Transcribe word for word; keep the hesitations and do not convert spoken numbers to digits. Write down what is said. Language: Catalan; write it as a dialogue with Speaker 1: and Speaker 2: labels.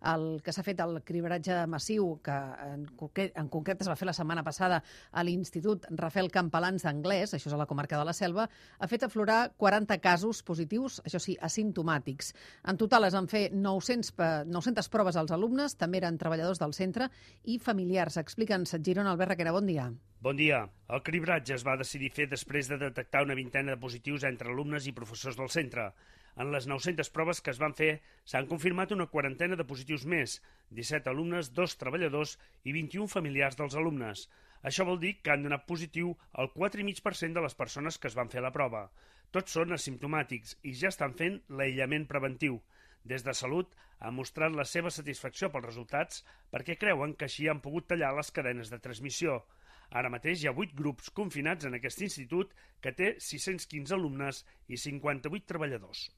Speaker 1: el que s'ha fet el cribratge massiu, que en concret, en concret es va fer la setmana passada a l'Institut Rafael Campalans d'Anglès, això és a la comarca de la Selva, ha fet aflorar quaranta casos positius, això sí, asimptomàtics. En total es van fer nou-cents, nou-centes proves als alumnes, també eren treballadors del centre i familiars. Explica'ns, Girona, Albert Requena, bon dia.
Speaker 2: Bon dia. El cribratge es va decidir fer després de detectar una vintena de positius entre alumnes i professors del centre. En les nou-centes proves que es van fer s'han confirmat una quarantena de positius més, disset alumnes, dos treballadors i vint-i-un familiars dels alumnes. Això vol dir que han donat positiu el quatre coma cinc per cent de les persones que es van fer la prova. Tots són asimptomàtics i ja estan fent l'aïllament preventiu. Des de Salut han mostrat la seva satisfacció pels resultats perquè creuen que així han pogut tallar les cadenes de transmissió. Ara mateix hi ha vuit grups confinats en aquest institut que té sis-cents quinze alumnes i cinquanta-vuit treballadors.